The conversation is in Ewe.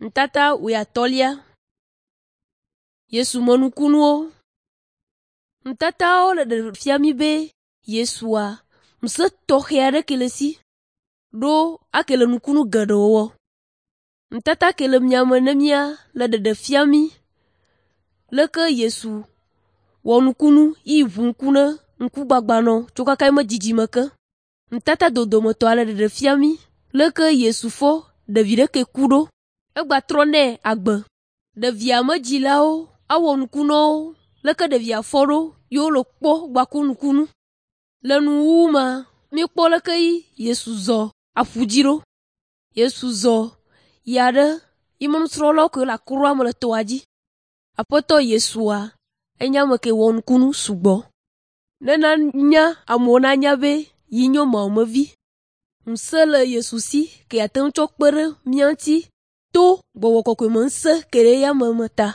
Nutata wuiatɔ̃lia. Yesu me nukunuwo. Nutatawo le ɖeɖe fia mí be Yesua ŋusẽ tɔxɛ aɖe ke le esi ɖo ake le nukunu geɖewo wɔ. Nutata ke le miame ne mía le ɖeɖe fia mí leke Yesu wɔ nukunu yi ʋu ŋku ne ŋkugbagbanɔ tso kaka eƒe dzidzime ke. Nutata dodometɔa le ɖeɖe fia mí leke Yesu fɔ ɖevi ɖe ke ku ɖo egbatrɔ nɛ agbe. Ɖevia me dzilawo awɔ nuku na wo leke ɖevia fɔ ɖo ye wole kpɔ gbaku nukunu. Le nuwuwu ma, míekpɔ leke Yesu zɔ aƒu dzi ɖo. Yesu zɔ yia ɖe yi me nusrɔ̃lawo ke le akroa me le tɔa dzi. Aƒetɔ Yesua enye ame ke wɔ nukunu sugbɔ. Ne nanya amewo nanya be yi nye Mawu me vi. Ŋusẽ le Yesu si ke ate ŋu tsɔ kpe ɖe mía ŋuti to gbɔgbɔ kɔkɔe me ŋusẽ ke le eya me ta.